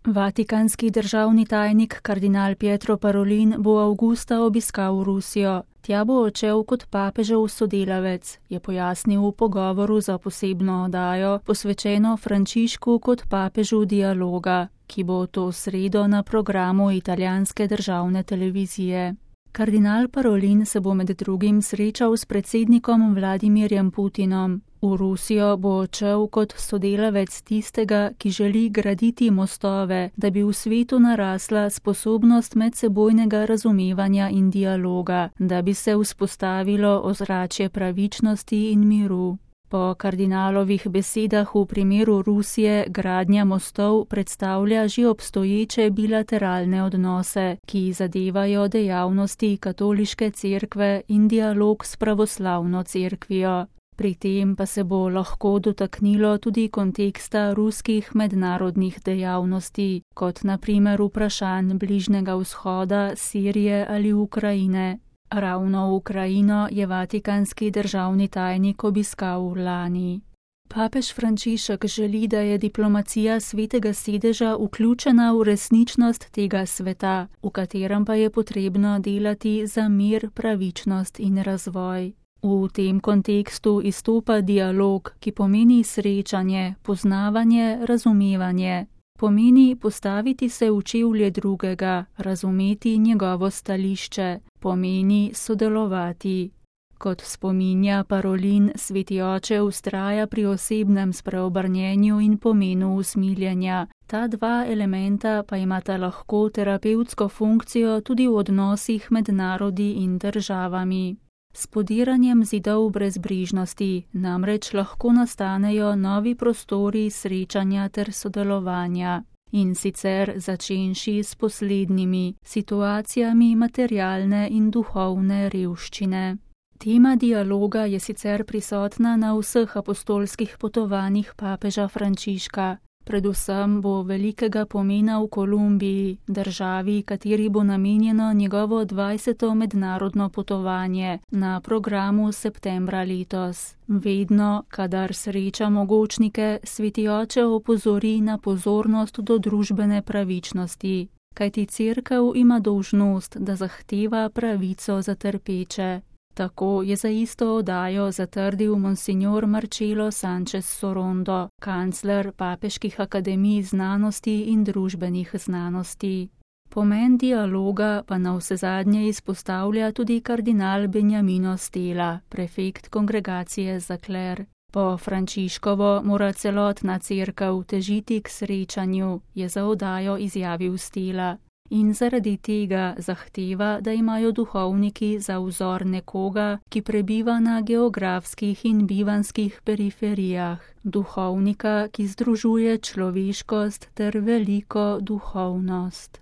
Vatikanski državni tajnik kardinal Pietro Parolin bo avgusta obiskal Rusijo. Tja bo odšel kot papežev sodelavec, je pojasnil v pogovoru za posebno oddajo, posvečeno Frančišku kot papežu dialoga, ki bo to sredo na programu italijanske državne televizije. Kardinal Parolin se bo med drugim srečal s predsednikom Vladimirjem Putinom. V Rusijo bo odšel kot sodelavec tistega, ki želi graditi mostove, da bi v svetu narasla sposobnost medsebojnega razumevanja in dialoga, da bi se vzpostavilo ozračje pravičnosti in miru. Po kardinalovih besedah v primeru Rusije gradnja mostov predstavlja že obstoječe bilateralne odnose, ki zadevajo dejavnosti katoliške cerkve in dialog s pravoslavno cerkvijo. Pri tem pa se bo lahko dotaknilo tudi konteksta ruskih mednarodnih dejavnosti, kot na primer vprašanj Bližnjega vzhoda, Sirije ali Ukrajine. Ravno Ukrajino je vatikanski državni tajnik obiskal lani. Papež Frančišek želi, da je diplomacija Svetega sedeža vključena v resničnost tega sveta, v katerem pa je potrebno delati za mir, pravičnost in razvoj. V tem kontekstu izstopa dialog, ki pomeni srečanje, poznavanje, razumevanje. Pomeni postaviti se v čevlje drugega, razumeti njegovo stališče, pomeni sodelovati. Kot spominja Parolin, Sveti oče vztraja pri osebnem spreobrnjenju in pomenu usmiljenja. Ta dva elementa pa imata lahko terapevtsko funkcijo tudi v odnosih med narodi in državami. S podiranjem zidov brezbrižnosti namreč lahko nastanejo novi prostori srečanja ter sodelovanja, in sicer začenši s poslednjimi situacijami materialne in duhovne revščine. Tema dialoga je sicer prisotna na vseh apostolskih potovanjih papeža Frančiška. Predvsem bo velikega pomena v Kolumbiji, državi, kateri bo namenjeno njegovo 20. mednarodno potovanje na programu septembra letos. Vedno, kadar sreča mogočnike, Sveti oče opozori na pozornost do družbene pravičnosti, kajti cerkev ima dolžnost, da zahteva pravico za trpeče. Tako je za isto oddajo zatrdil monsignor Marcelo Sanchez Sorondo, kancler papeških akademij znanosti in družbenih znanosti. Pomen dialoga pa navsezadnje izpostavlja tudi kardinal Benjamino Stela, prefekt kongregacije za kler. Po Frančiškovo mora celotna cerkev težiti k srečanju, je za oddajo izjavil Stela. In zaradi tega zahteva, da imajo duhovniki za vzor nekoga, ki prebiva na geografskih in bivanskih periferijah, duhovnika, ki združuje človeškost ter veliko duhovnost.